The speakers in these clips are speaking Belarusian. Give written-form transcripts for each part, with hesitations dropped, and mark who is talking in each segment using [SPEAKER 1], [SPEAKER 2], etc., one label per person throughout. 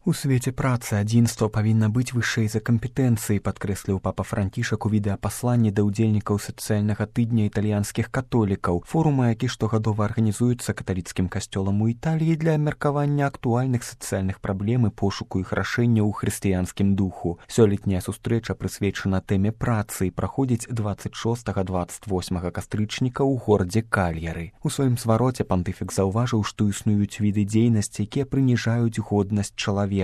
[SPEAKER 1] У свеце працы адзінства павінна быць вышэй за кампетэнцыі, падкрэсліў папа Францішак у відэапасланні да ўдзельнікаў сацыяльнага тыдня італьянскіх католікаў, форума, які штогадова арганізуецца каталіцкім касцёлам у Італіі для абмеркавання актуальных сацыяльных праблем і пошуку іх рашэння ў хрысціянскім духу. Сёлетняя сустрэча прысвечана тэме працы і праходзіць 26-28 кастрычніка ў горадзе Кальяры. У сваім звароце пантыфік заўважыў, што існуюць віды дзейнасці, якія прыніжаюць годнасць чалавека.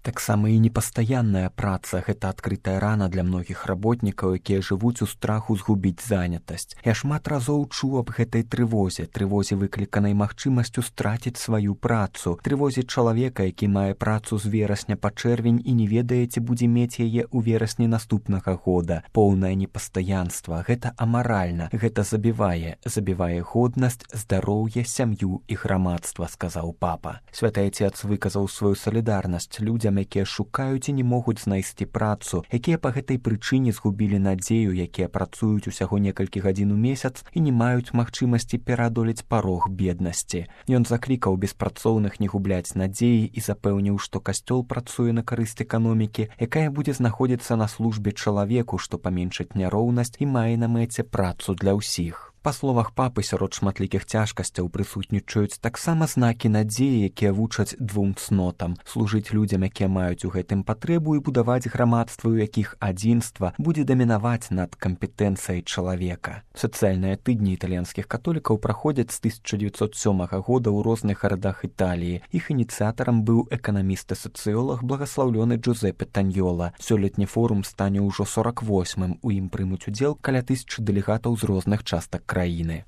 [SPEAKER 1] Таксама і непастаянная праца – гэта адкрытая рана для многіх работнікаў, якія жывуць у страху згубіць занятасць. Я шмат разоў чуў аб гэтай трывозе выкліканай магчымасцю страціць сваю працу, трывозе чалавека, які мае працу з верасня па чэрвень і не ведае, ці будзе мець яе ў верасні наступнага года. Поўнае непастаянства – гэта амаральна, гэта забівае годнасць, здароўе, сям'ю і грамадства, сказаў папа. Святы Отец выказаў сваю салідарнасць людзям, якія шукаюць і не могуць знайсці працу, якія па гэтай прычыне згубілі надзею, якія працуюць усяго некалькі гадзін у месяц і не маюць магчымасці пераадолець парог беднасці. Ён заклікаў беспрацоўных не губляць надзеі і запэўніў, што касцёл працуе на карысць эканомікі, якая будзе знаходзіцца на службе чалавеку, што паменшыць няроўнасць і мае на мэце працу для ўсіх. Па словах папы, сярод шматлікіх цяжкасцяў прысутнічаюць таксама знакі надзеі, якія вучаць двум цнотам – служыць людзям, якія маюць у гэтым патрэбу, і будаваць грамадства, у якіх адзінства будзе дамінаваць над кампетэнцыяй чалавека. Сацыяльныя тыдні італьянскіх католікаў праходзяць з 1907 года ў розных гарадах Італіі. Іх ініцыятарам быў эканаміст і сацыёлаг благаслаўлёны Джузеппе Таньёла. Сёлетні форум стане ўжо 48-м. У ім прымуць удзел каля 1000 дэлегатаў з розных частак краіны.